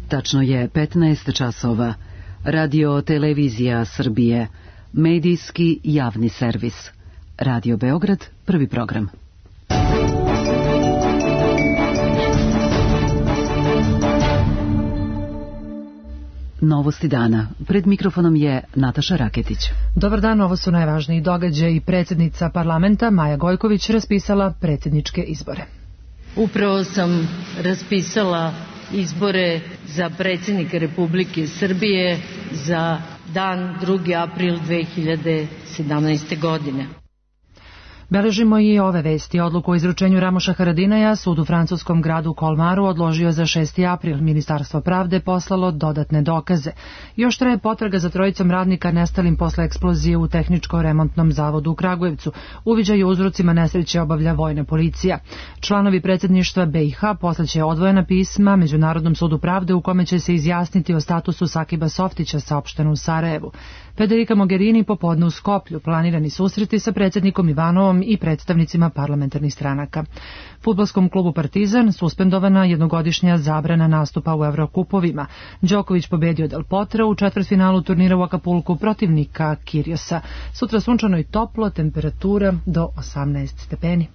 Tačno je 15 časova. Radio Televizija Srbije. Medijski javni servis. Radio Beograd, prvi program. Novosti dana. Pred mikrofonom je Nataša Raketić. Dobar dan, ovo su najvažniji događaji. Predsjednica parlamenta Maja Gojković raspisala predsjedničke izbore. Upravo sam raspisala izbore za predsjednika Republike Srbije za dan 2. april 2017. godine. Beležimo i ove vesti. Odluku o izručenju Ramoša Haradinaja sud u francuskom gradu Kolmaru odložio za 6. april. Ministarstvo pravde poslalo dodatne dokaze. Još traje potraga za trojicom radnika nestalim posle eksplozije u tehničko-remontnom zavodu u Kragujevcu. Uviđaj o uzrocima nesreće obavlja vojna policija. Članovi predsjedništva BiH poslaće odvojena pisma Međunarodnom sudu pravde u kome će se izjasniti o statusu Sakiba Softića, saopšteno u Sarajevu. Federica Mogherini popodne u Skoplju, planirani susreti sa predsjednikom Ivanovom i predstavnicima parlamentarnih stranaka. Fudbalskom klubu Partizan suspendovana jednogodišnja zabrana nastupa u Evrokupovima. Đoković pobedio Del Potra u četvrtfinalu turnira u Akapulku protivnika Kiriosa. Sutra sunčano i toplo, temperatura do 18 stepeni.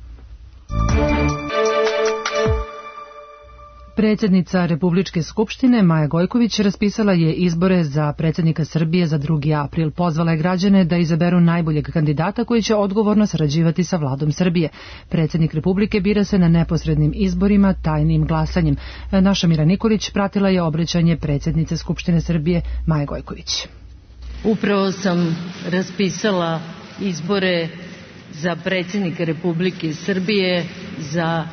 Predsjednica Republičke skupštine Maja Gojković raspisala je izbore za predsjednika Srbije za 2. april. Pozvala je građane da izaberu najboljeg kandidata koji će odgovorno sarađivati sa vladom Srbije. Predsjednik Republike bira se na neposrednim izborima tajnim glasanjem. Naša Mira Nikolić pratila je obraćanje predsjednice Skupštine Srbije Maje Gojković. Upravo sam raspisala izbore za predsjednika Republike Srbije za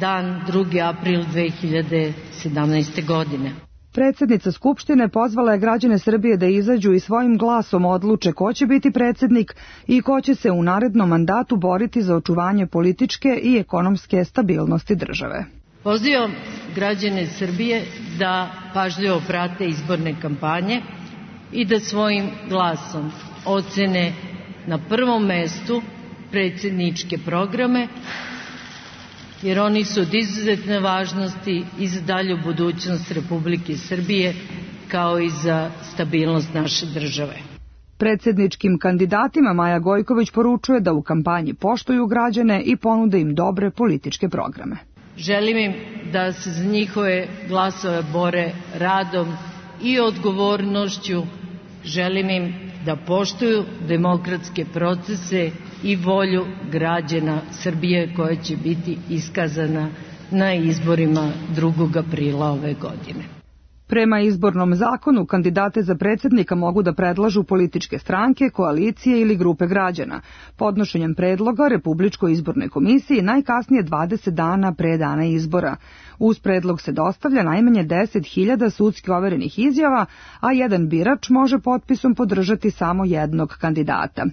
dan 2. april 2017. godine. Predsjednica Skupštine pozvala je građane Srbije da izađu i svojim glasom odluče ko će biti predsjednik i ko će se u narednom mandatu boriti za očuvanje političke i ekonomske stabilnosti države. Pozivam građane Srbije da pažljivo prate izborne kampanje i da svojim glasom ocene na prvom mestu predsjedničke programe, jer oni su od izuzetne važnosti i za dalju budućnost Republike Srbije, kao i za stabilnost naše države. Predsjedničkim kandidatima Maja Gojković poručuje da u kampanji poštuju građane i ponude im dobre političke programe. Želim im da se za njihove glasove bore radom i odgovornošću. Želim im da poštuju demokratske procese i volju građana Srbije koja će biti iskazana na izborima 2. aprila ove godine. Prema izbornom zakonu, kandidate za predsjednika mogu da predlažu političke stranke, koalicije ili grupe građana. Podnošenjem predloga Republičkoj izbornoj komisiji najkasnije 20 dana pre dana izbora. Uz predlog se dostavlja najmanje 10.000 sudski overenih izjava, a jedan birač može potpisom podržati samo jednog kandidata.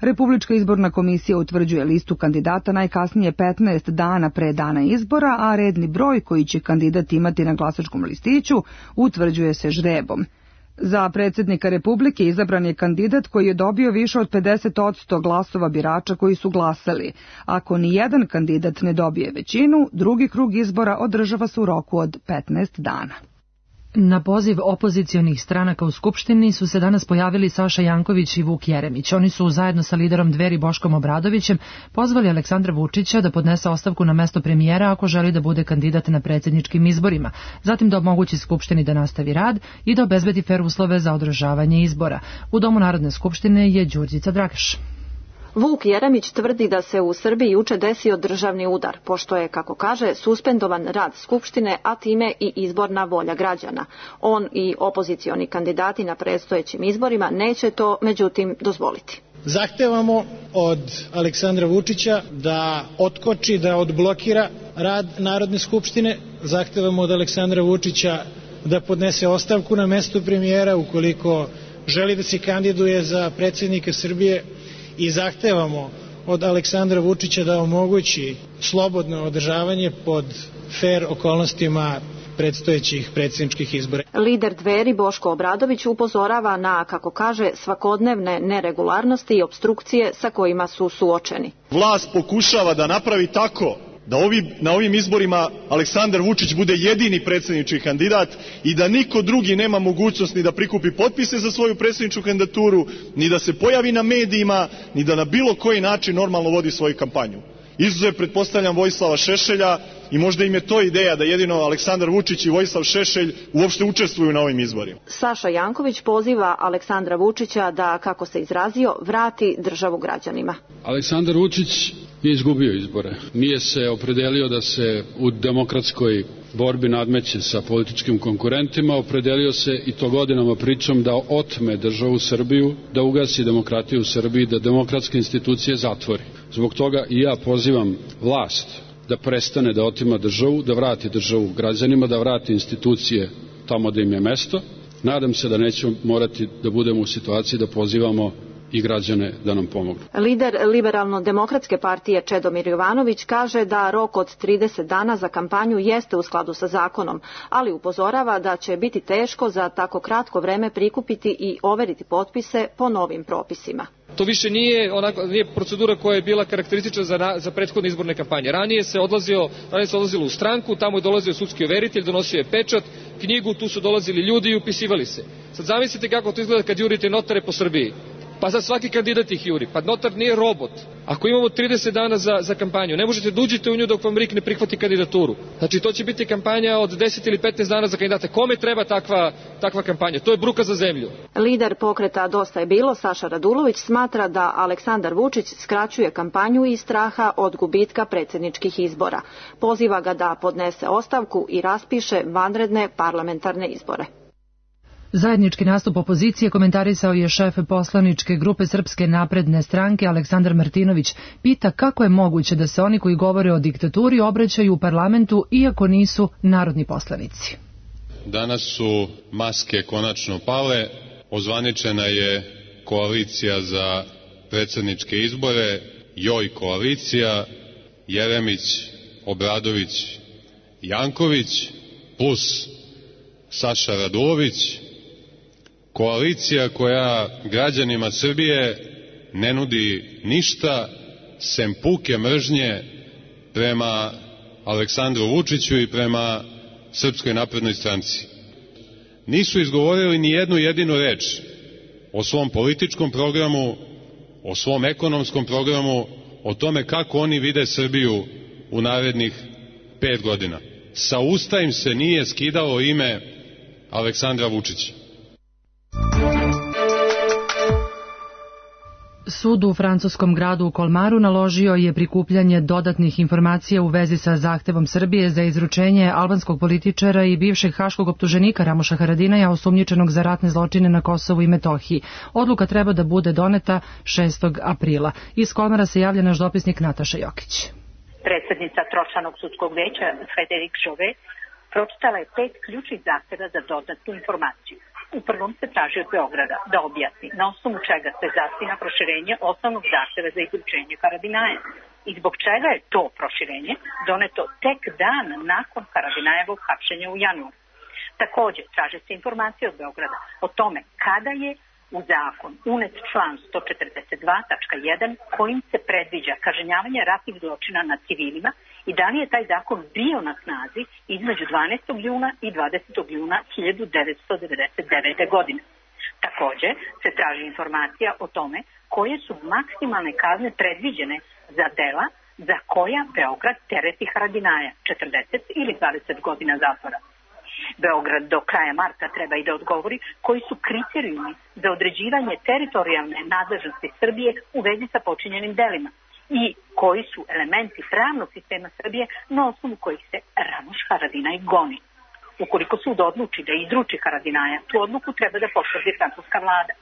Republička izborna komisija utvrđuje listu kandidata najkasnije 15 dana pre dana izbora, a redni broj koji će kandidat imati na glasačkom listiću utvrđuje se žrebom. Za predsjednika Republike izabran je kandidat koji je dobio više od 50% glasova birača koji su glasali. Ako ni jedan kandidat ne dobije većinu, drugi krug izbora održava se u roku od 15 dana. Na poziv opozicionih stranaka u Skupštini su se danas pojavili Saša Janković i Vuk Jeremić. Oni su zajedno sa liderom Dveri Boškom Obradovićem pozvali Aleksandra Vučića da podnese ostavku na mesto premijera ako želi da bude kandidat na predsjedničkim izborima, zatim da omogući Skupštini da nastavi rad i da obezbedi fer uslove za održavanje izbora. U Domu Narodne skupštine je Đurđica Dragaš. Vuk Jeremić tvrdi da se u Srbiji juče desio državni udar, pošto je, kako kaže, suspendovan rad Skupštine, a time i izborna volja građana. On i opozicioni kandidati na predstojećim izborima neće to, međutim, dozvoliti. Zahtevamo od Aleksandra Vučića da otkoči, da odblokira rad Narodne skupštine. Zahtevamo od Aleksandra Vučića da podnese ostavku na mesto premijera ukoliko želi da se kandiduje za predsjednika Srbije. I zahtevamo od Aleksandra Vučića da omogući slobodno održavanje pod fer okolnostima predstojećih predsjedničkih izbora. Lider Dveri Boško Obradović upozorava na, kako kaže, svakodnevne neregularnosti i opstrukcije sa kojima su suočeni. Vlast pokušava da napravi tako da na ovim izborima Aleksandar Vučić bude jedini predsjednički kandidat i da niko drugi nema mogućnost ni da prikupi potpise za svoju predsjedničku kandidaturu, ni da se pojavi na medijima, ni da na bilo koji način normalno vodi svoju kampanju. Izuzev, pretpostavljam, Vojislava Šešelja, i možda im je to ideja da jedino Aleksandar Vučić i Vojislav Šešelj uopšte učestvuju na ovim izborima. Saša Janković poziva Aleksandra Vučića da, kako se izrazio, vrati državu građanima. Aleksandar Vučić je izgubio izbore. Nije se opredelio da se u demokratskoj borbi nadmeće sa političkim konkurentima, opredelio se, i to godinama pričam, da otme državu Srbiju, da ugasi demokratiju u Srbiji, da demokratske institucije zatvori. Zbog toga i ja pozivam vlast da prestane da otima državu, da vrati državu građanima, da vrati institucije tamo da im je mesto. Nadam se da nećemo morati da budemo u situaciji da pozivamo i građane da nam pomognu. Lider Liberalno-demokratske partije Čedomir Jovanović kaže da rok od 30 dana za kampanju jeste u skladu sa zakonom, ali upozorava da će biti teško za tako kratko vreme prikupiti i overiti potpise po novim propisima. To više nije procedura koja je bila karakteristična za prethodne izborne kampanje. Ranije se odlazilo u stranku, tamo je dolazio sudski overitelj, donosio je pečat, knjigu, tu su dolazili ljudi i upisivali se. Sad zamislite kako to izgleda kad jurite notare po Srbiji. Pa sad svaki kandidat ih juri. Pa notar nije robot. Ako imamo 30 dana za kampanju, ne možete da uđete u nju dok vam RIK ne prihvati kandidaturu. Znači to će biti kampanja od 10 ili 15 dana za kandidate. Kome treba takva kampanja? To je bruka za zemlju. Lider pokreta Dosta je bilo, Saša Radulović, smatra da Aleksandar Vučić skraćuje kampanju iz straha od gubitka predsjedničkih izbora. Poziva ga da podnese ostavku i raspiše vanredne parlamentarne izbore. Zajednički nastup opozicije komentarisao je šef poslaničke grupe Srpske napredne stranke Aleksandar Martinović. Pita kako je moguće da se oni koji govore o diktaturi obraćaju u parlamentu iako nisu narodni poslanici. Danas su maske konačno pale, ozvaničena je koalicija za predsjedničke izbore, Joj koalicija, Jeremić, Obradović, Janković, plus Saša Radulović, koalicija koja građanima Srbije ne nudi ništa sem puke mržnje prema Aleksandru Vučiću i prema Srpskoj naprednoj stranci. Nisu izgovorili ni jednu jedinu reč o svom političkom programu, o svom ekonomskom programu, o tome kako oni vide Srbiju u narednih 5 godina. Sa usta im se nije skidalo ime Aleksandra Vučića. Sud u francuskom gradu u Kolmaru naložio je prikupljanje dodatnih informacija u vezi sa zahtevom Srbije za izručenje albanskog političara i bivšeg haškog optuženika Ramoša Haradinaja osumnjičenog za ratne zločine na Kosovu i Metohiji. Odluka treba da bude doneta 6. aprila. Iz Kolmara se javlja naš dopisnik Nataša Jokić. Predsjednica Tročlanog sudskog veća Frederik Žove pročitala je 5 ključnih zahteva za dodatnu informaciju. U prvom se traži od Beograda da objasni na osnovu čega se zasniva proširenje osnovnog zahteva za izručenje Haradinaja i zbog čega je to proširenje doneto tek dan nakon Haradinajevog hapšenja u januaru. Također traže se informacije od Beograda o tome kada je u zakon unet član 142.1 kojim se predviđa kažnjavanje ratnih zločina nad civilima i da li je taj zakon bio na snazi između 12. juna i 20. juna 1999. godine. Također se traži informacija o tome koje su maksimalne kazne predviđene za dela za koja Beograd tereti Haradinaja, 40 ili 20 godina zatvora. Beograd do kraja marta treba i da odgovori koji su kriterijumi za određivanje teritorijalne nadležnosti Srbije u vezi sa počinjenim delima i koji su elementi pravnog sistema Srbije na osnovu kojih se Ramoš Haradinaj goni. Ukoliko sud odluči da izruči Haradinaja, tu odluku treba da potvrdi francuska vlada.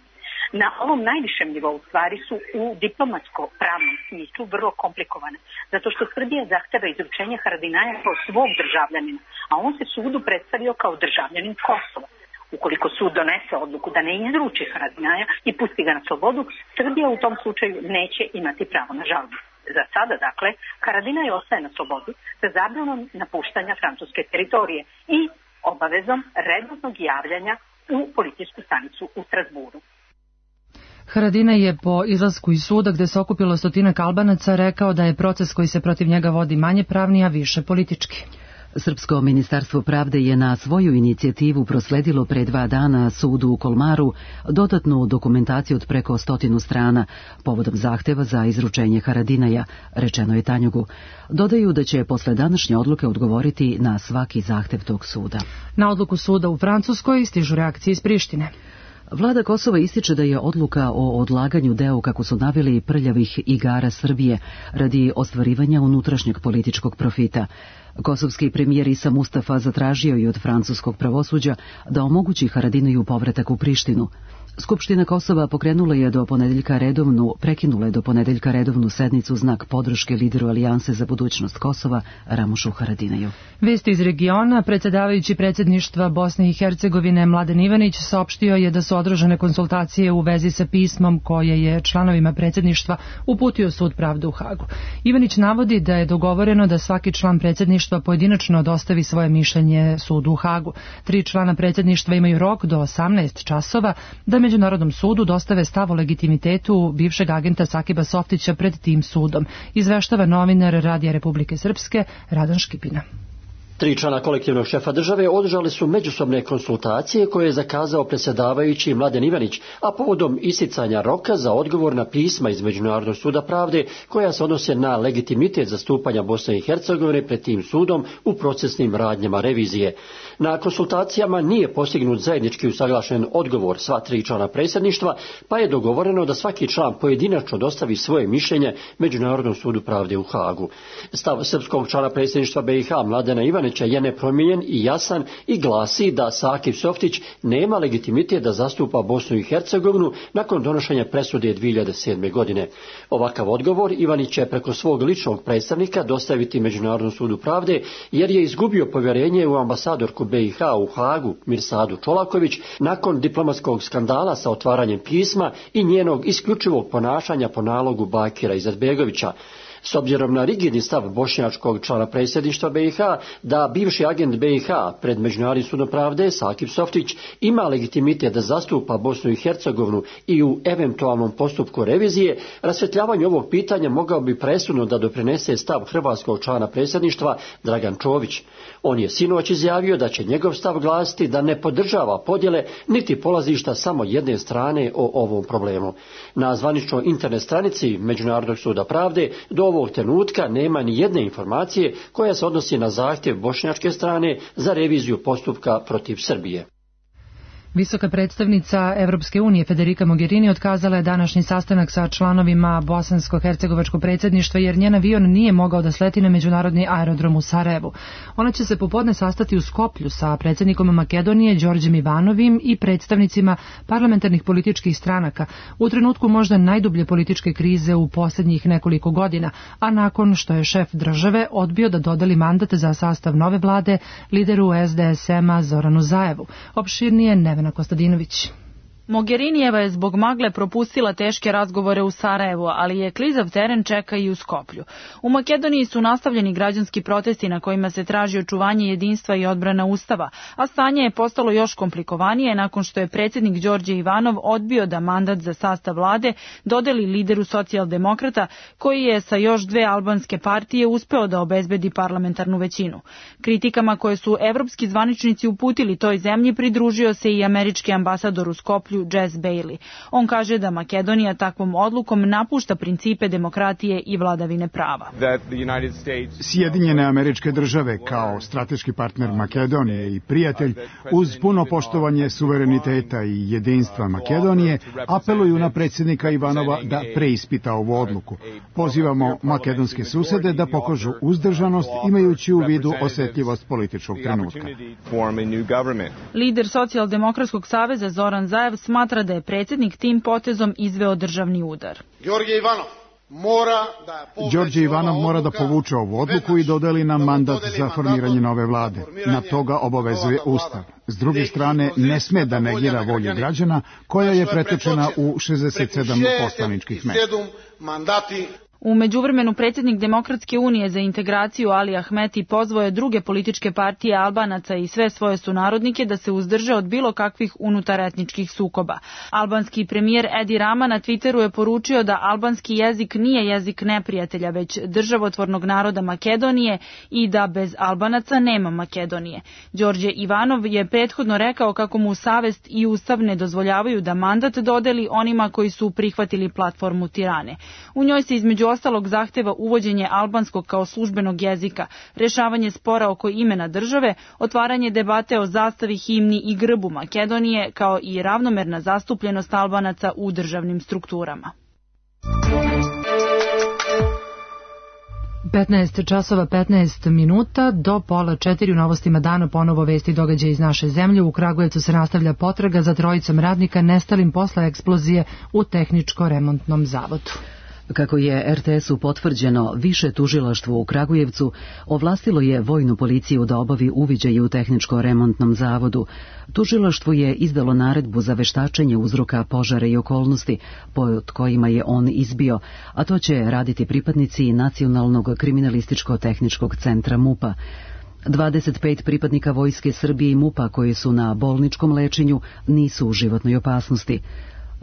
Na ovom najvišem nivou stvari su u diplomatsko-pravnom smislu vrlo komplikovane, zato što Srbija zahteva izručenje Haradinaja kao svog državljanina, a on se sudu predstavio kao državljanin Kosova. Ukoliko sud donese odluku da ne izruči Haradinaja i pusti ga na slobodu, Srbija u tom slučaju neće imati pravo na žalbu. Za sada, dakle, Haradinaj ostaje na slobodu sa zabranom napuštanja francuske teritorije i obavezom redovnog javljanja u policijsku stanicu u Strasburu. Haradinaj je po izlasku iz suda gde se okupilo 100 Albanaca rekao da je proces koji se protiv njega vodi manje pravni, a više politički. Srpsko ministarstvo pravde je na svoju inicijativu prosledilo pre 2 dana sudu u Kolmaru dodatnu dokumentaciju od preko 100 strana povodom zahteva za izručenje Haradinaja, rečeno je Tanjugu. Dodaju da će posle današnje odluke odgovoriti na svaki zahtev tog suda. Na odluku suda u Francuskoj stižu reakcije iz Prištine. Vlada Kosova ističe da je odluka o odlaganju deo, kako su naveli, prljavih igara Srbije radi ostvarivanja unutrašnjeg političkog profita. Kosovski premijer Isa Mustafa zatražio i od francuskog pravosuđa da omogući Haradinaju povratak u Prištinu. Skupština Kosova prekinula je do ponedeljka redovnu sednicu znak podrške lideru Alijanse za budućnost Kosova Ramušu Haradinaju. Vesti iz regiona. Predsjedavajući predsjedništva Bosne i Hercegovine Mladen Ivanić saopštio je da su održane konsultacije u vezi sa pismom koje je članovima predsjedništva uputio Sud pravde u Hagu. Ivanić navodi da je dogovoreno da svaki član predsjedništva pojedinačno dostavi svoje mišljenje Sudu u Hagu. 3 člana predsjedništva imaju rok do 18 časova da Međunarodnom sudu dostave stav o legitimitetu bivšeg agenta Sakiba Softića pred tim sudom, izveštava novinar Radija Republike Srpske Radan Škipina. 3 člana kolektivnog šefa države održali su međusobne konsultacije koje je zakazao predsjedavajući Mladen Ivanić, a povodom isticanja roka za odgovor na pisma iz Međunarodnog suda pravde koja se odnose na legitimitet zastupanja Bosne i Hercegovine pred tim sudom u procesnim radnjama revizije. Na konsultacijama nije postignut zajednički usaglašen odgovor sva 3 člana predsjedništva, pa je dogovoreno da svaki član pojedinačno dostavi svoje mišljenje Međunarodnom sudu pravde u Hagu. Stav srpskog člana predsjedništva BiH Mladena Ivanića je nepromijenjen i jasan i glasi da Sakib Softić nema legitimitet da zastupa Bosnu i Hercegovinu nakon donošenja presude 2007. godine. Ovakav odgovor Ivanić će preko svog ličnog predstavnika dostaviti Međunarodnom sudu pravde jer je izgubio povjerenje u ambasadorku BiH u Hagu Mirsadu Čolaković nakon diplomatskog skandala sa otvaranjem pisma i njenog isključivog ponašanja po nalogu Bakira Izetbegovića. S obzirom na rigidni stav bošnjačkog člana predsjedništva BiH da bivši agent BiH pred Međunarodnim sudom pravde Sakib Softić ima legitimitet da zastupa Bosnu i Hercegovinu i u eventualnom postupku revizije, rasvjetljavanju ovog pitanja mogao bi presudno da doprinese stav hrvatskog člana predsjedništva Dragan Čović. On je sinoć izjavio da će njegov stav glasiti da ne podržava podjele niti polazišta samo jedne strane o ovom problemu. Na zvaničnoj internet stranici Međunarodnog suda pravde do ovog trenutka nema ni jedne informacije koja se odnosi na zahtjev bošnjačke strane za reviziju postupka protiv Srbije. Visoka predstavnica Evropske unije Federica Mogherini otkazala je današnji sastanak sa članovima bosansko-hercegovačkog predsjedništva jer njen avion nije mogao da sleti na međunarodni aerodrom u Sarajevu. Ona će se popodne sastati u Skoplju sa predsjednikom Makedonije Đorđem Ivanovim i predstavnicima parlamentarnih političkih stranaka u trenutku možda najdublje političke krize u posljednjih nekoliko godina, a nakon što je šef države odbio da dodeli mandat za sastav nove vlade lideru SDSM-a Zoranu Zaevu. Opširnije Nevena Kostadinović. Mogherinijeva je zbog magle propustila teške razgovore u Sarajevu, ali je klizav teren čeka i u Skoplju. U Makedoniji su nastavljeni građanski protesti na kojima se traži očuvanje jedinstva i odbrana Ustava, a stanje je postalo još komplikovanije nakon što je predsjednik Đorđe Ivanov odbio da mandat za sastav vlade dodeli lideru socijaldemokrata, koji je sa još 2 albanske partije uspeo da obezbedi parlamentarnu većinu. Kritikama koje su evropski zvaničnici uputili toj zemlji pridružio se i američki ambasador u Skoplju Jess Bailey. On kaže da Makedonija takvom odlukom napušta principe demokratije i vladavine prava. Sjedinjene Američke Države kao strateški partner Makedonije i prijatelj uz puno poštovanje suvereniteta i jedinstva Makedonije apeluju na predsjednika Ivanova da preispita ovu odluku. Pozivamo makedonske susede da pokažu uzdržanost imajući u vidu osjetljivost političkog trenutka. Lider Socijaldemokratskog saveza Zoran Zaev smatra da je predsjednik tim potezom izveo državni udar. Đorđe Ivanov mora da povuče ovu odluku i dodeli nam mandat za formiranje nove vlade. Na toga obavezuje Ustav. S druge strane, ne sme da negira volju građana koja je pretečena u 67 poslaničkih mesta. U međuvremenu predsjednik Demokratske unije za integraciju Ali Ahmeti pozvao je druge političke partije Albanaca i sve svoje sunarodnike da se uzdrže od bilo kakvih unutaretničkih sukoba. Albanski premijer Edi Rama na Twitteru je poručio da albanski jezik nije jezik neprijatelja, već državotvornog naroda Makedonije i da bez Albanaca nema Makedonije. Đorđe Ivanov je prethodno rekao kako mu savest i ustav ne dozvoljavaju da mandat dodeli onima koji su prihvatili platformu Tirane. U njoj se između ostalog zahteva uvođenje albanskog kao službenog jezika, rešavanje spora oko imena države, otvaranje debate o zastavi, himni i grbu Makedonije, kao i ravnomerna zastupljenost Albanaca u državnim strukturama. 15 časova 15 minuta do pola 4 u novostima dana ponovo vesti događaja iz naše zemlje. U Kragujevcu se nastavlja potraga za trojicom radnika nestalim posle eksplozije u tehničko-remontnom zavodu. Kako je RTS-u potvrđeno, više tužilaštvo u Kragujevcu ovlastilo je vojnu policiju da obavi uviđaj u tehničko-remontnom zavodu. Tužilaštvo je izdalo naredbu za veštačenje uzroka požara i okolnosti pod kojima je on izbio, a to će raditi pripadnici Nacionalnog kriminalističko-tehničkog centra MUP-a. 25 pripadnika Vojske Srbije i MUP-a koji su na bolničkom lečenju nisu u životnoj opasnosti.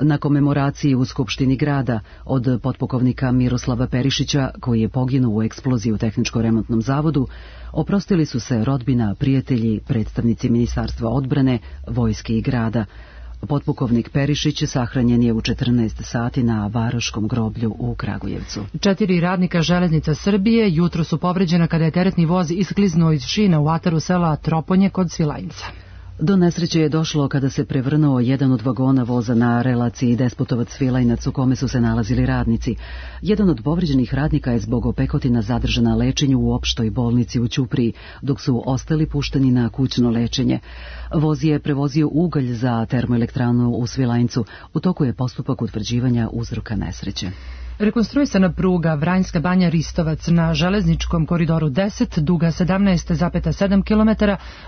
Na komemoraciji u Skupštini grada od potpukovnika Miroslava Perišića, koji je poginuo u eksploziji u tehničko-remontnom zavodu, oprostili su se rodbina, prijatelji, predstavnici Ministarstva odbrane, vojske i grada. Potpukovnik Perišić sahranjen je u 14 sati na Varoškom groblju u Kragujevcu. 4 radnika Železnica Srbije jutro su povređena kada je teretni voz iskliznuo iz šina u ataru sela Troponje kod Svilajnca. Do nesreće je došlo kada se prevrnuo jedan od vagona voza na relaciji Despotovac-Svilajnac u kome su se nalazili radnici. Jedan od povređenih radnika je zbog opekotina zadržan na lečenju u opštoj bolnici u Ćupriji, dok su ostali pušteni na kućno lečenje. Voz je prevozio ugalj za termoelektranu u Svilajncu. U toku je postupak utvrđivanja uzroka nesreće. Rekonstruisana pruga Vranjska Banja Ristovac na železničkom koridoru 10, duga 17,7 km,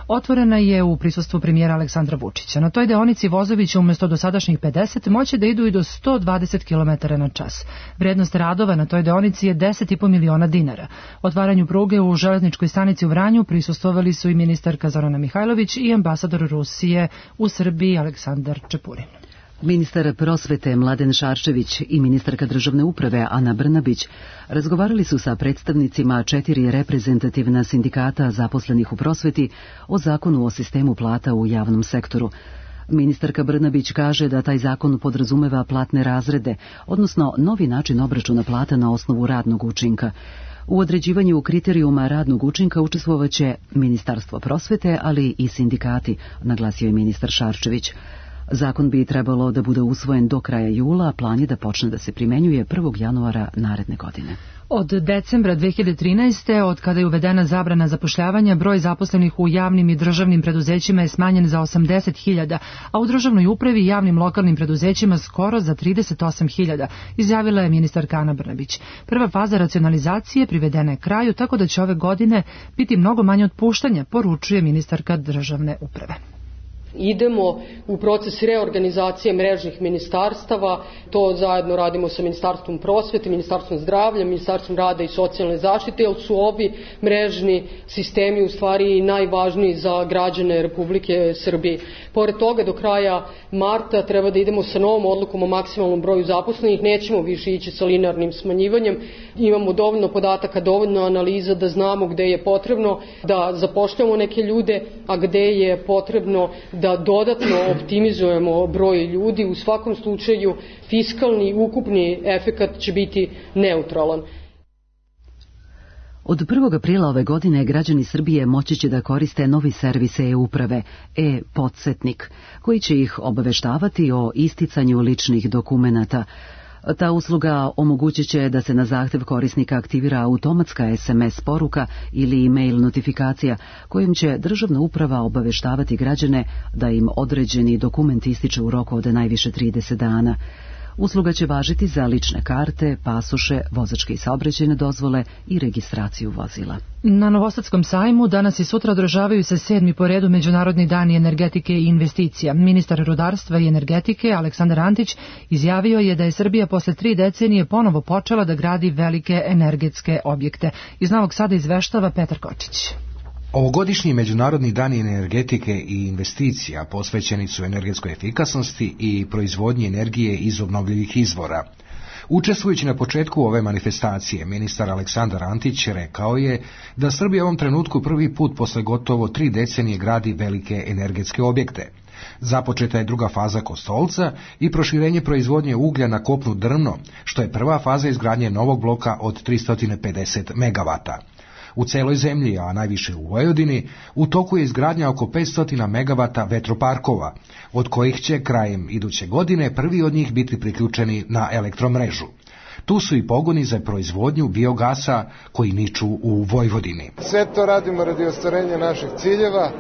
otvorena je u prisustvu premijera Aleksandra Vučića. Na toj deonici vozovi će umjesto dosadašnjih 50 moći da idu i do 120 km na čas. Vrednost radova na toj deonici je 10,5 miliona dinara. Otvaranju pruge u železničkoj stanici u Vranju prisustvovali su i ministarka Zorana Mihajlović i ambasador Rusije u Srbiji Aleksandar Čepurin. Ministar prosvete Mladen Šarčević i ministarka državne uprave Ana Brnabić razgovarali su sa predstavnicima 4 reprezentativna sindikata zaposlenih u prosveti o zakonu o sistemu plata u javnom sektoru. Ministarka Brnabić kaže da taj zakon podrazumeva platne razrede, odnosno novi način obračuna plata na osnovu radnog učinka. U određivanju kriterijuma radnog učinka učestvovaće Ministarstvo prosvete, ali i sindikati, naglasio je ministar Šarčević. Zakon bi trebalo da bude usvojen do kraja jula, a plan je da počne da se primenjuje 1. januara naredne godine. Od decembra 2013. od kada je uvedena zabrana zapošljavanja, broj zaposlenih u javnim i državnim preduzećima je smanjen za 80.000, a u državnoj upravi i javnim lokalnim preduzećima skoro za 38.000, izjavila je ministarka Ana Brnabić. Prva faza racionalizacije privedena je kraju, tako da će ove godine biti mnogo manje otpuštanja, poručuje ministarka državne uprave. Idemo u proces reorganizacije mrežnih ministarstava, to zajedno radimo sa Ministarstvom prosvete, Ministarstvom zdravlja, Ministarstvom rada i socijalne zaštite, jer su ovi mrežni sistemi u stvari najvažniji za građane Republike Srbije. Pored toga, do kraja marta treba da idemo sa novom odlukom o maksimalnom broju zaposlenih, nećemo više ići sa linearnim smanjivanjem, imamo dovoljno podataka, dovoljno analiza da znamo gde je potrebno da zapošljamo neke ljude, a gde je potrebno da dodatno optimizujemo broj ljudi. U svakom slučaju fiskalni ukupni efekat će biti neutralan. Od 1. aprila ove godine građani Srbije moći će da koriste novi servis e-uprave, e-Podsetnik, koji će ih obaveštavati o isticanju ličnih dokumenata. Ta usluga omogućit će da se na zahtev korisnika aktivira automatska SMS poruka ili e-mail notifikacija kojim će državna uprava obaveštavati građane da im određeni dokument ističe u roku od najviše 30 dana. Usluga će važiti za lične karte, pasoše, vozačke i saobraćajne dozvole i registraciju vozila. Na Novosadskom sajmu danas i sutra održavaju se 7. po redu Međunarodni dani energetike i investicija. Ministar rudarstva i energetike Aleksandar Antić izjavio je da je Srbija posle 3 decenije ponovo počela da gradi velike energetske objekte. Iz Novog Sada izveštava Petar Kočić. Ovogodišnji Međunarodni dani energetike i investicija posvećeni su energetskoj efikasnosti i proizvodnji energije iz obnovljivih izvora. Učestvujući na početku ove manifestacije, ministar Aleksandar Antić rekao je da Srbija u ovom trenutku prvi put posle gotovo 3 decenije gradi velike energetske objekte. Započeta je druga faza Kostolca i proširenje proizvodnje uglja na kopnu Drvno, što je prva faza izgradnje novog bloka od 350 megavata. U celoj zemlji, a najviše u Vojvodini, u toku je izgradnja oko 500 megavata vetroparkova, od kojih će krajem iduće godine prvi od njih biti priključeni na elektromrežu. Tu su i pogoni za proizvodnju biogasa koji niču u Vojvodini. Sve to radimo radi ostvarenja naših ciljeva,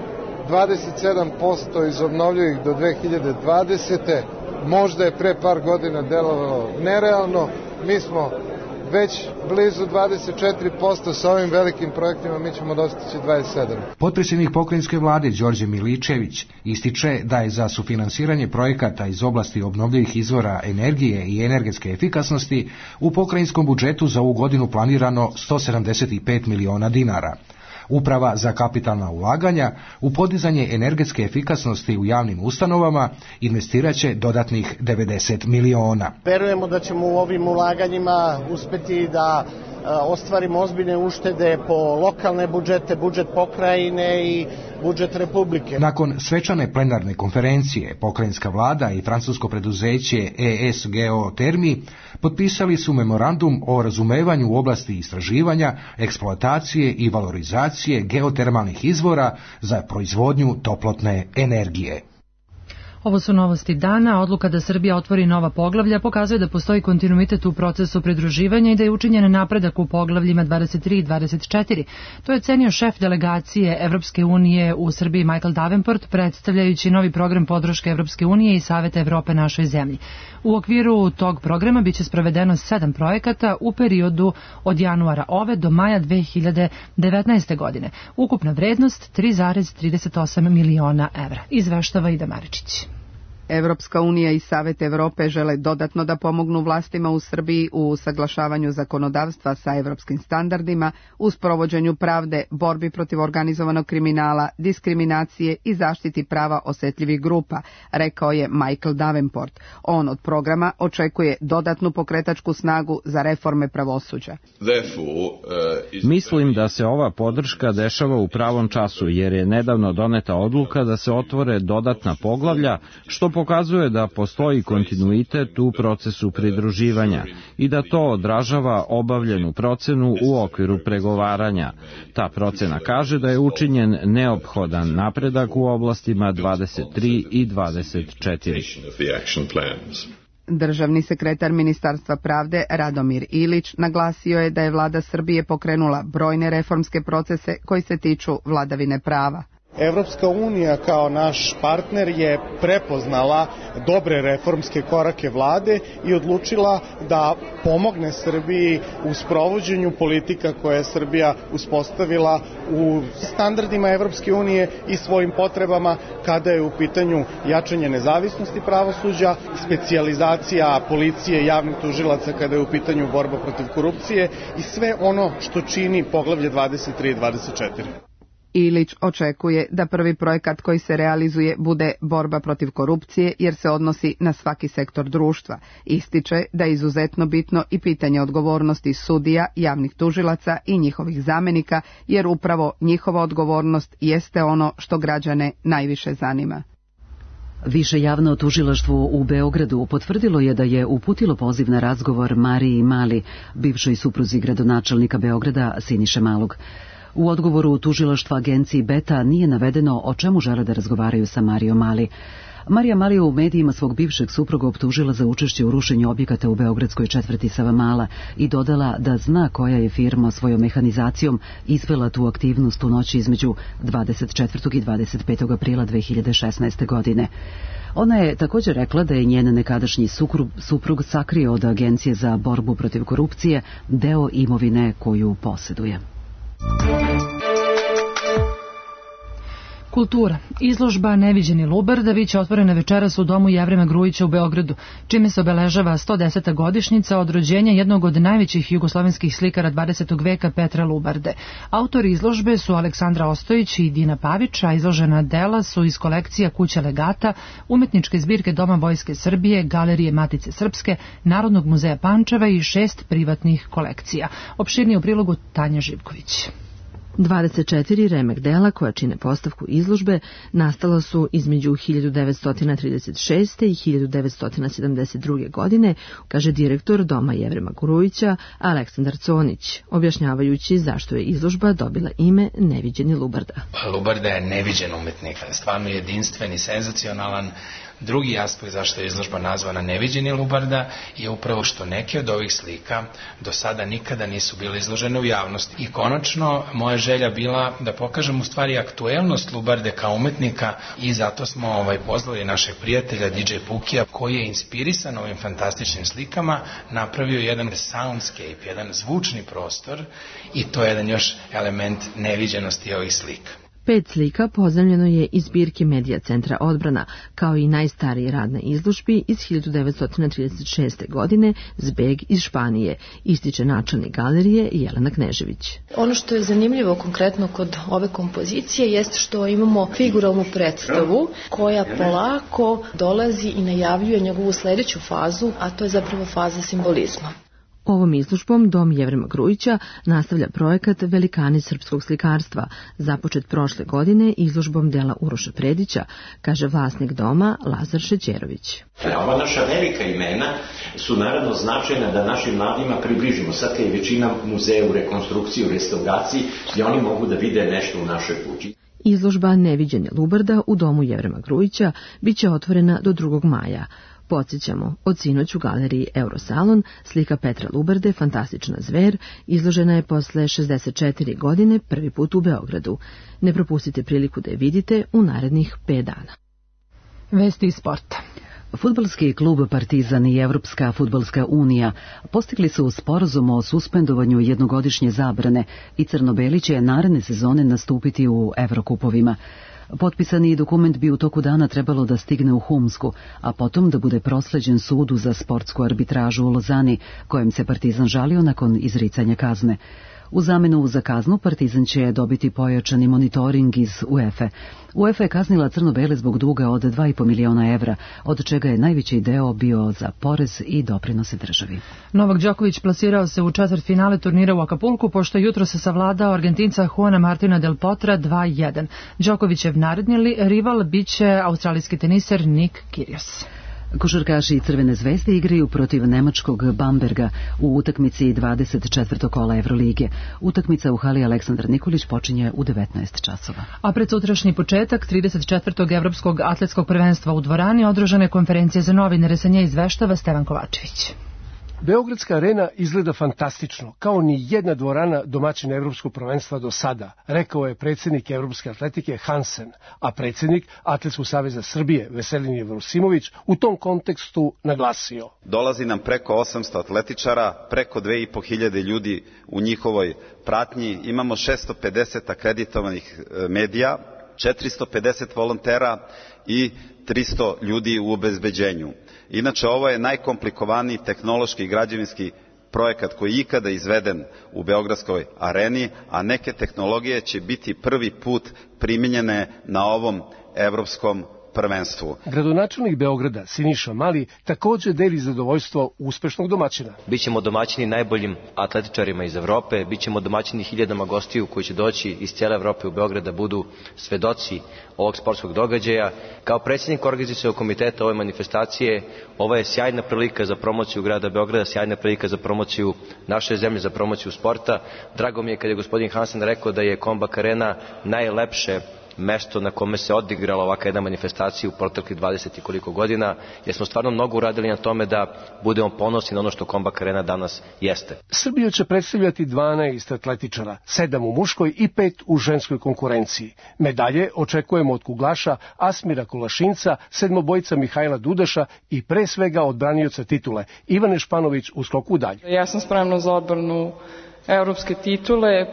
27% iz obnovljivih do 2020. Možda je pre par godina delovalo nerealno, mi smo već blizu 24%, sa ovim velikim projektima mi ćemo dostići 27%. Potpredsjednik pokrajinske vlade Đorđe Miličević ističe da je za sufinansiranje projekata iz oblasti obnovljivih izvora energije i energetske efikasnosti u pokrajinskom budžetu za ovu godinu planirano 175 miliona dinara. Uprava za kapitalna ulaganja u podizanje energetske efikasnosti u javnim ustanovama investiraće dodatnih 90 miliona. Verujemo da ćemo u ovim ulaganjima uspeti da ostvarimo ozbiljne uštede po lokalne budžete, budžet pokrajine i budžet Republike. Nakon svečane plenarne konferencije, pokrajinska vlada i francusko preduzeće ES Geotermi potpisali su memorandum o razumevanju u oblasti istraživanja, eksploatacije i valorizacije geotermalnih izvora za proizvodnju toplotne energije. Ovo su novosti dana. Odluka da Srbija otvori nova poglavlja pokazuje da postoji kontinuitet u procesu pridruživanja i da je učinjen napredak u poglavljima 23 i 24. To je cenio šef delegacije Evropske unije u Srbiji Michael Davenport, predstavljajući novi program podrške Evropske unije i Saveta Evrope našoj zemlji. U okviru tog programa biće sprovedeno 7 projekata u periodu od januara ove do maja 2019. godine. Ukupna vrednost 3,38 miliona evra. Izveštava Ida Maričić. Evropska unija i Savet Evrope žele dodatno da pomognu vlastima u Srbiji u usaglašavanju zakonodavstva sa evropskim standardima, u sprovođenju pravde, borbi protiv organizovanog kriminala, diskriminacije i zaštiti prava osetljivih grupa, rekao je Michael Davenport. On od programa očekuje dodatnu pokretačku snagu za reforme pravosuđa. Mislim da se ova podrška dešava u pravom času, jer je nedavno doneta odluka da se otvore dodatna poglavlja, što pokazuje da postoji kontinuitet u procesu pridruživanja i da to odražava obavljenu procenu u okviru pregovaranja. Ta procena kaže da je učinjen neophodan napredak u oblastima 23 i 24. Državni sekretar Ministarstva pravde Radomir Ilić naglasio je da je vlada Srbije pokrenula brojne reformske procese koji se tiču vladavine prava. Evropska unija kao naš partner je prepoznala dobre reformske korake vlade i odlučila da pomogne Srbiji u sprovođenju politika koje je Srbija uspostavila u standardima Evropske unije i svojim potrebama kada je u pitanju jačanje nezavisnosti pravosuđa, specijalizacija policije i javnih tužilaca kada je u pitanju borba protiv korupcije i sve ono što čini poglavlje 23 i 24. Ilić očekuje da prvi projekat koji se realizuje bude borba protiv korupcije jer se odnosi na svaki sektor društva. Ističe da je izuzetno bitno i pitanje odgovornosti sudija, javnih tužilaca i njihovih zamenika jer upravo njihova odgovornost jeste ono što građane najviše zanima. Više javno tužilaštvo u Beogradu potvrdilo je da je uputilo poziv na razgovor Mariji Mali, bivšoj supruzi gradonačelnika Beograda Siniše Malog. U odgovoru tužilaštva agenciji Beta nije navedeno o čemu žele da razgovaraju sa Marijom Mali. Marija Malija u medijima svog bivšeg supruga optužila za učešće u rušenju objekata u beogradskoj četvrti Savamala i dodala da zna koja je firma svojom mehanizacijom izvela tu aktivnost u noći između 24. i 25. aprila 2016. godine. Ona je također rekla da je njen nekadašnji suprug sakrio od Agencije za borbu protiv korupcije deo imovine koju posjeduje. Kultura. Izložba Neviđeni Lubarda biće otvorena večeras u domu Jevrema Grujića u Beogradu, čime se obeležava 110. godišnjica od rođenja jednog od najvećih jugoslovenskih slikara 20. veka Petra Lubarde. Autori izložbe su Aleksandra Ostojić i Dina Pavić, a izložena dela su iz kolekcija Kuća legata, umetničke zbirke Doma Vojske Srbije, Galerije Matice Srpske, Narodnog muzeja Pančeva i 6 privatnih kolekcija. Opširnije u prilogu Tanja Živković. 24 remek dela koja čine postavku izložbe nastala su između 1936. i 1972. godine, kaže direktor Doma Jevrema Grujića Aleksandar Conić, objašnjavajući zašto je izložba dobila ime Neviđeni Lubarda. Lubarda je neviđen umetnik, stvarno jedinstven i senzacionalan. Drugi aspekt zašto je izložba nazvana Neviđeni Lubarda je upravo što neke od ovih slika do sada nikada nisu bile izložene u javnosti. I konačno, moja želja bila da pokažem u stvari aktuelnost Lubarde kao umetnika i zato smo pozvali našeg prijatelja DJ Pukija, koji je inspirisan ovim fantastičnim slikama, napravio jedan soundscape, jedan zvučni prostor i to je jedan još element neviđenosti ovih slika. 5 slika pozajmljeno je iz zbirke Medija centra Odbrana, kao i najstariji rad na izložbi iz 1936. godine Zbeg iz Španije, ističe načelnik galerije Jelena Knežević. Ono što je zanimljivo konkretno kod ove kompozicije jest što imamo figuralnu predstavu koja polako dolazi i najavljuje njegovu sljedeću fazu, a to je zapravo faza simbolizma. Ovom izložbom Dom Jevrema Grujića nastavlja projekat Velikani srpskog slikarstva, započet prošle godine izložbom dela Uroša Predića, kaže vlasnik doma Lazar Šećerović. Ova naša velika imena su naravno značajna da našim mladima približimo. Sad je većina muzeja u rekonstrukciji, u restauraciji, gdje oni mogu da vide nešto u našoj kući. Izložba Neviđeni Lubarda u Domu Jevrema Grujića biće otvorena do 2. maja. Podsjećamo, od sinoć u galeriji Eurosalon slika Petra Lubarde, Fantastična zver, izložena je posle 64 godine prvi put u Beogradu. Ne propustite priliku da je vidite u narednih 5 dana. Vesti iz sporta. Fudbalski klub Partizan i Evropska fudbalska unija postigli su sporazum o suspendovanju jednogodišnje zabrane i crno-beli će naredne sezone nastupiti u Evrokupovima. Potpisani dokument bi u toku dana trebalo da stigne u Humsku, a potom da bude prosleđen sudu za sportsku arbitražu u Lozani, kojem se Partizan žalio nakon izricanja kazne. U zamenu za kaznu Partizan će dobiti pojačani monitoring iz UEFA. UEFA je kaznila crno-bele zbog duga od 2,5 miliona evra, od čega je najveći deo bio za porez i doprinose državi. Novak Đoković plasirao se u četvrtfinale turnira u Akapulku, pošto jutro se savladao Argentinca Juana Martina del Potra 2-1. Đokovićev naredni rival biće australijski teniser Nick Kyrgios. Košarkaši Crvene zvezde igraju protiv nemačkog Bamberga u utakmici 24. kola Evrolige. Utakmica u hali Aleksandar Nikolić počinje u 19 časova. A pred sutrašnji početak 34. Evropskog atletskog prvenstva u dvorani održane konferencije za novinare, sa nje izveštava Stevan Kovačević. Beogradska arena izgleda fantastično, kao ni jedna dvorana domaćina Evropskog prvenstva do sada, rekao je predsjednik Evropske atletike Hansen, a predsjednik Atletskog saveza Srbije Veselin Jevrosimović u tom kontekstu naglasio. Dolazi nam preko 800 atletičara, preko 2500 ljudi u njihovoj pratnji, imamo 650 akreditovanih medija, 450 volontera i 300 ljudi u obezbeđenju. Inače, ovo je najkomplikovaniji tehnološki i građevinski projekat koji je ikada izveden u Beogradskoj areni, a neke tehnologije će biti prvi put primijenjene na ovom evropskom prvenstvu. Gradonačelnik Beograda, Siniša Mali, također deli zadovoljstvo uspešnog domaćina. Bićemo domaćini najboljim atletičarima iz Evrope, bićemo domaćini hiljadama gostiju koji će doći iz cijele Evrope u Beograd da budu svedoci ovog sportskog događaja. Kao predsjednik organizacionog komiteta ove manifestacije, ovo je sjajna prilika za promociju grada Beograda, sjajna prilika za promociju naše zemlje, za promociju sporta. Drago mi je kad je gospodin Hansen rekao da je Kombak Arena najlepše mesto na kome se odigrala ovaka jedna manifestacija u proteklih 20 i koliko godina, jer smo stvarno mnogo uradili na tome da budemo ponosni na ono što Kombak Arena danas jeste. Srbiju će predstavljati 12 atletičara, 7 u muškoj i 5 u ženskoj konkurenciji. Medalje očekujemo od kuglaša Asmira Kulašinca, sedmobojca Mihajla Dudaša i pre svega od branioca titule Ivane Španović u skoku u dalj. Ja sam spremna za odbranu evropske titule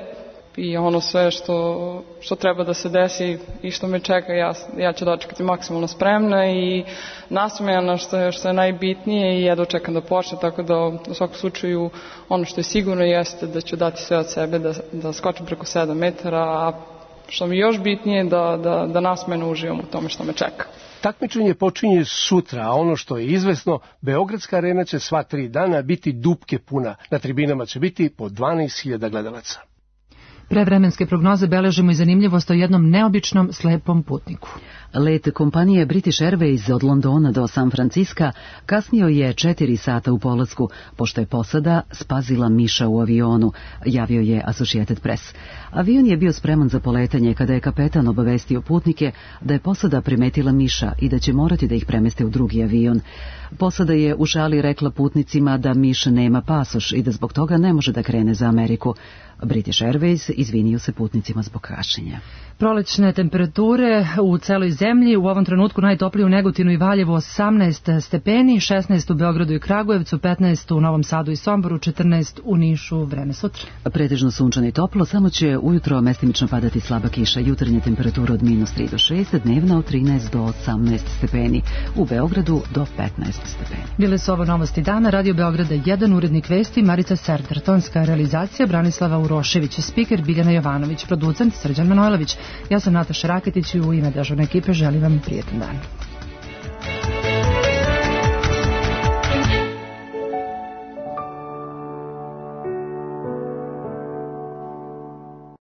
i ono sve što treba da se desi i što me čeka, ja ću dočekati maksimalno spremna i nasmejana što je najbitnije i jedva čekam da počne, tako da u svakom slučaju ono što je sigurno jeste da ću dati sve od sebe da skočim preko 7 metara, a što mi je još bitnije da nasmejano uživam u tome što me čeka. Takmičenje počinje sutra, a ono što je izvesno, Beogradska arena će sva 3 dana biti dupke puna. Na tribinama će biti po 12.000 gledalaca. Pre vremenske prognoze beležimo i zanimljivost o jednom neobičnom slepom putniku. Let kompanije British Airways od Londona do San Franciska kasnio je 4 sata u polasku, pošto je posada spazila miša u avionu, javio je Associated Press. Avion je bio spreman za poletanje kada je kapetan obavestio putnike da je posada primetila miša i da će morati da ih premeste u drugi avion. Posada je u šali rekla putnicima da miš nema pasoš i da zbog toga ne može da krene za Ameriku. British Airways izvinio se putnicima zbog kašnjenja. Prolećne temperature u celoj zemlji, u ovom trenutku najtoplije u Negotinu i Valjevu 18 stepeni, 16 u Beogradu i Kragujevcu, 15 u Novom Sadu i Somboru, 14 u Nišu. Vreme sutra. Pretežno sunčano i toplo, samo će ujutro mestimično padati slaba kiša. Jutarnja temperatura od -3 do 6, dnevna od 13 do 18 stepeni. U Beogradu do 15 stepeni. Bile su ovo novosti dana. Radio Beograda 1, urednik vesti Marica Serdar, tonska realizacija Branislava Urošević, spiker Biljana Jovanović, producent Srđan Manojlović. Ja sam Nataša Raketić i u ime dežurne ekipe želim vam prijetan dan.